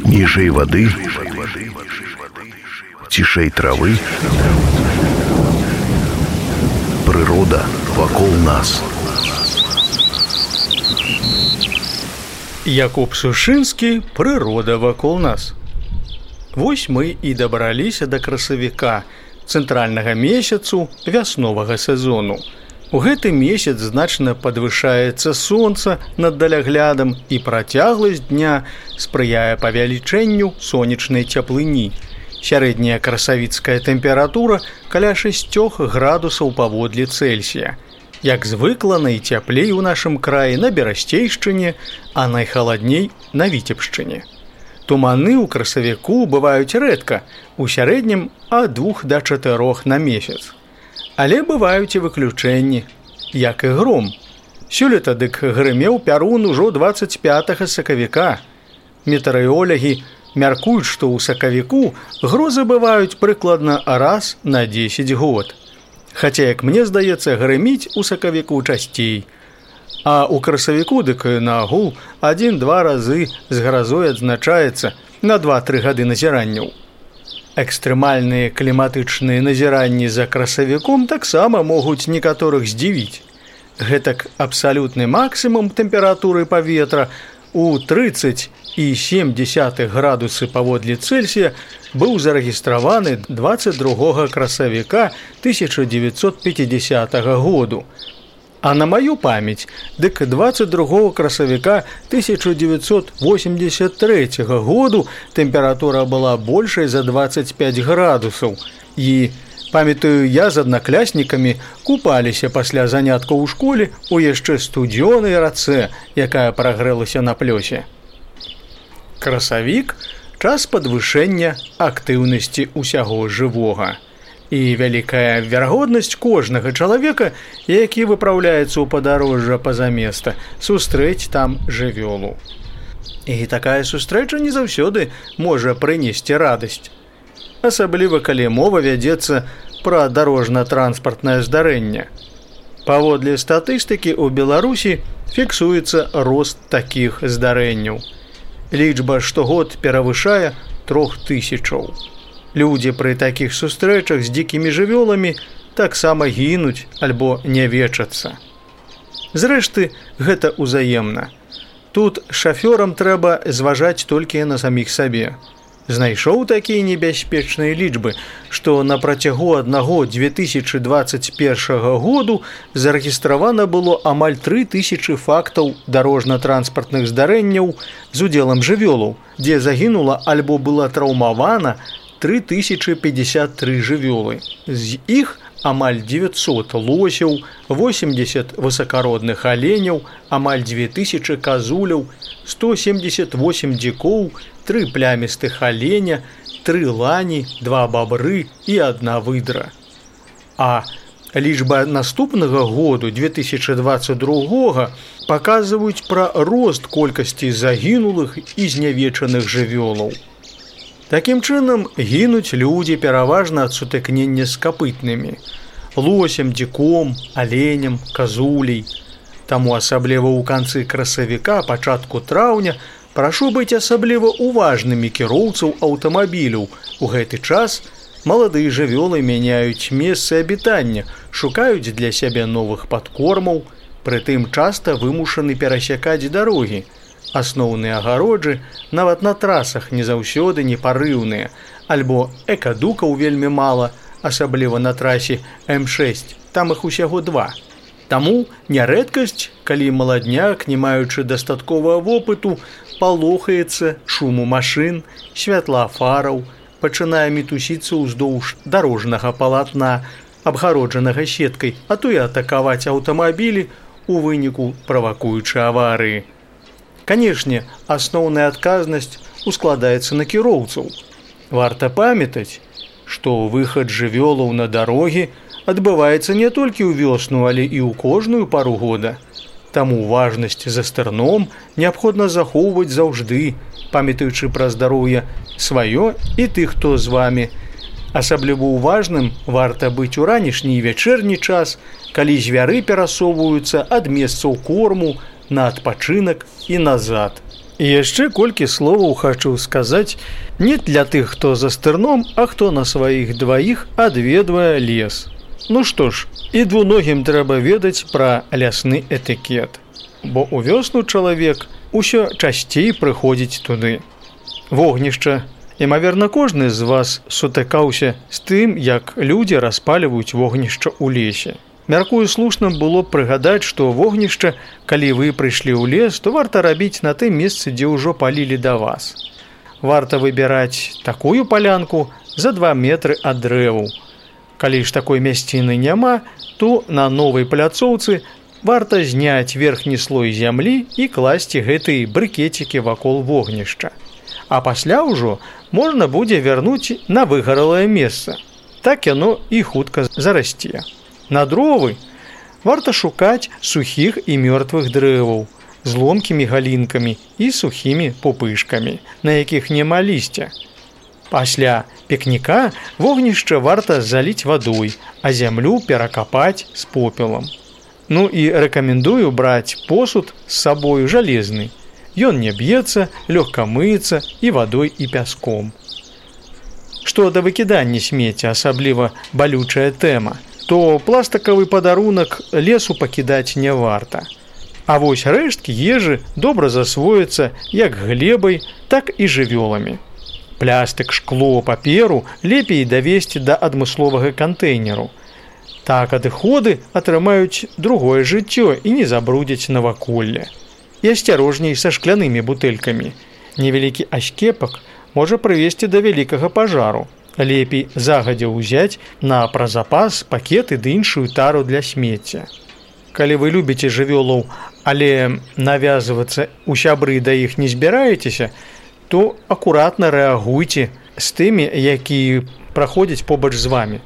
Ніжэй вады, цішэй травы, прырода вакол нас. Якуб Сушынскі, прырода вакол нас. Вось мы і дабраліся да красавіка, цэнтральнага месяцу вясновага сезону. У гэты месяц значна падвышаецца сонца над даляглядам і працягласць дня спрыяе павялічэнню сонечнай цяплыні. Сярэдняя красавіцкая тэмпература каля 6 градусаў паводле Цельсія. Як звыкла, найцяплей у нашым краі на Берасцейшчыне, а найхаладней на Віцебшчыне. Туманы ў красавіку бываюць рэдка, у сярэднім ад 2 да 4 на месяц. Але бываюць і выключэнні, як і гром. Сёлета дык грымеў пярун ужо 25 сакавіка. Метэаролагі мяркуюць, што ў сакавіку грозы бываюць прыкладна раз на 10 год. Хаця, як мне здаецца, грыміць у сакавіку часцей. А ў красавіку дык нагул 1-2 разы з гразой адзначаецца на 2-3 гады назіранняў. Экстрэмальныя кліматычныя назіранні за красавіком таксама могуць некаторых здзівіць. Гэтак абсалютны максімум тэмпературы паветра у 30,7 градусы паводле Цельсія быў зарэгістраваны 22 красавіка 1950 году. А на маю памяць, дык 22 красавіка 1983 году тэмпература была большай за 25 градусаў. І, памятаю, я з аднакляснікамі купаліся пасля заняткаў у школе у яшчэ студзёнай рацэ, якая прагрэлася на плёсе. Красавік – час падвышэння актыўнасці ўсяго жывога. І вялікая верагоднасць кожнага чалавека, які выпраўляецца ў падарожжа па-за места, сустрэць там жывёлу. І такая сустрэча не заўсёды можа прынесці радасць. Асабліва, калі мова вядзецца пра дарожна-транспартнае здарэнне. Паводле статыстыкі ў Беларусі фіксуецца рост такіх здарэнняў. Лічба штогод перавышае 3000. Людзі пры такіх сустрэчах з дзікімі жывёламі таксама гінуць альбо нявечацца. Зрэшты, гэта ўзаемна. Тут шафёрам трэба зважаць толькі на саміх сабе. Знайшоў такія небяспечныя лічбы, што на працягу аднаго 2021 году зарэгістравана было амаль 3000 фактаў дарожна-транспартных здарэнняў з удзелам жывёлаў, дзе загінула альбо была траўмавана 3053 жывёлы. З іх амаль 900 лосяў, 80 высакародных аленяў, амаль 2000 казуляў, 178 дзікоў, 3 плямістых аленя, 3 лані, 2 бабры і 1 выдра. А лічба наступнага году, 2022, паказваюць пра рост колькасці загінулых і знявечаных жывёлаў. Такім чынам, гінуць людзі пераважна ад сутыкнення з капытнымі – лосем, дзіком, аленем, казулей. Таму асабліва ў канцы красавіка, пачатку траўня прашу быць асабліва уважнымі кіроўцаў аўтамабіляў. У гэты час маладыя жывёлы мяняюць месцы абітання, шукаюць для сябе новых падкормаў, прытым часта вымушаны перасякаць дарогі. Асноўныя агароджы нават на трасах не заўсёды непарыўныя, альбо экадукаў вельмі мала, асабліва на трасе М6, там іх усяго 2. Таму нярэдкасць, калі маладняк, не маючы дастатковага вопыту, палохаецца шуму машын, святла фараў, пачынае мітусіцца ўздоўж дарожнага палатна, абгароджанага сеткай, а то і атакаваць аўтамабілі, у выніку правакуючы аварыі. Канешне, асноўная адказнасць ускладаецца на кіроўцаў. Варта памятаць, што выхад жывёлаў на дарогі адбываецца не толькі ў вёсну, але і ў кожную пару года. Таму важнасць за стырном неабходна захоўваць заўжды, памятаючы пра здароўе сваё і тых, хто з вамі. Асабліва уважным варта быць у ранішні і вячэрні час, калі звяры перасоўваюцца ад месцаў корму на адпачынак і назад. І яшчэ колькі словаў хачу сказаць не для тых, хто за стырном, а хто на сваіх дваіх адведвае лес. Ну што ж, і двуногім трэба ведаць пра лясны этыкет, бо ў вёсну чалавек усё часцей прыходзіць туды. Вогнішча. Імаверна, кожны з вас сутыкаўся з тым, як людзі распальваюць вогнішча ў лесе. Мяркую, слушным было б прыгадаць, што вогнішча, калі вы прыйшлі ў лес, то варта рабіць на тым месцы, дзе ўжо палілі да вас. Варта выбіраць такую палянку за 2 метры ад дрэваў. Калі ж такой мясціны няма, то на новай пляцоўцы варта зняць верхні слой зямлі і класці гэтыя брыкецікі вакол вогнішча. А пасля ўжо можна будзе вярнуць на выгаралае месца. Так яно і хутка зарасце. На дровы варта шукаць сухіх і мёртвых дрэваў з ломкімі галінкамі і сухімі пупышкамі, на якіх няма лісця. Пасля пікніка вогнішча варта заліць вадой, а зямлю перакапаць з попелам. Ну і рэкамендую браць посуд з сабою жалезны. Ён не б'ецца, лёгка мыецца і вадой і пяском. Што да выкідання смецця, асабліва балючая тэма, то пластыкавы падарунак лесу пакідаць не варта. А вось рэшткі ежы добра засвояцца як глебай, так і жывёламі. Плястык, шкло, паперу лепей давесці да адмысловага кантэйнеру. Так адыходы атрымаюць другое жыццё і не забрудзяць наваколле. І асцярожней са шклянымі бутэлькамі. Невялікі аскепак можа прывесці да вялікага пажару. Лепей загадзя ўзяць на празапас пакеты ды іншую тару для смецця. Калі вы любіце жывёлаў, але навязвацца ў сябры да іх не збіраецеся, то акуратна рэагуйце з тымі, якія праходзяць побач з вамі.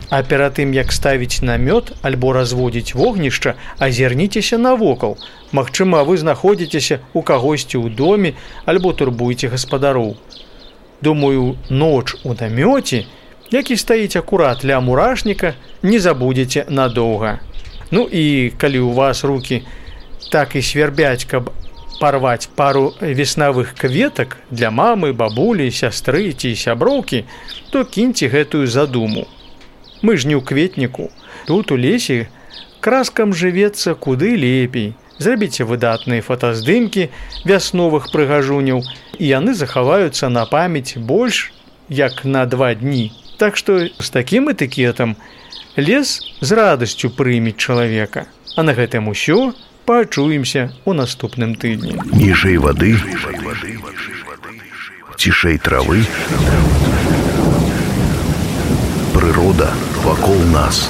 А перад тым, як ставіць намёт альбо разводзіць вогнішча, азірніцеся навокал. Магчыма, вы знаходзіцеся ў кагосьці ў доме альбо турбуеце гаспадароў. Думаю, ноч у намёце, які стаіць акурат ля мурашніка, не забудзеце надоўга. Ну і калі ў вас рукі так і свярбяць, каб парваць пару веснавых кветак для мамы, бабулі, сястры ці сяброўкі, то кіньце гэтую задуму. Мы ж не ў кветніку. Тут у лесе краскам жывецца куды лепей. Зрабіце выдатныя фотаздымкі вясновых прыгажуняў, і яны захаваюцца на памяць больш як на 2 дні. Так што з такім этыкетам лес з радасцю прымець чалавека. А на гэтым усё. Пачуемся ў наступным тыдні. Ніжэй вады, цішэй травы, прырода вакол нас.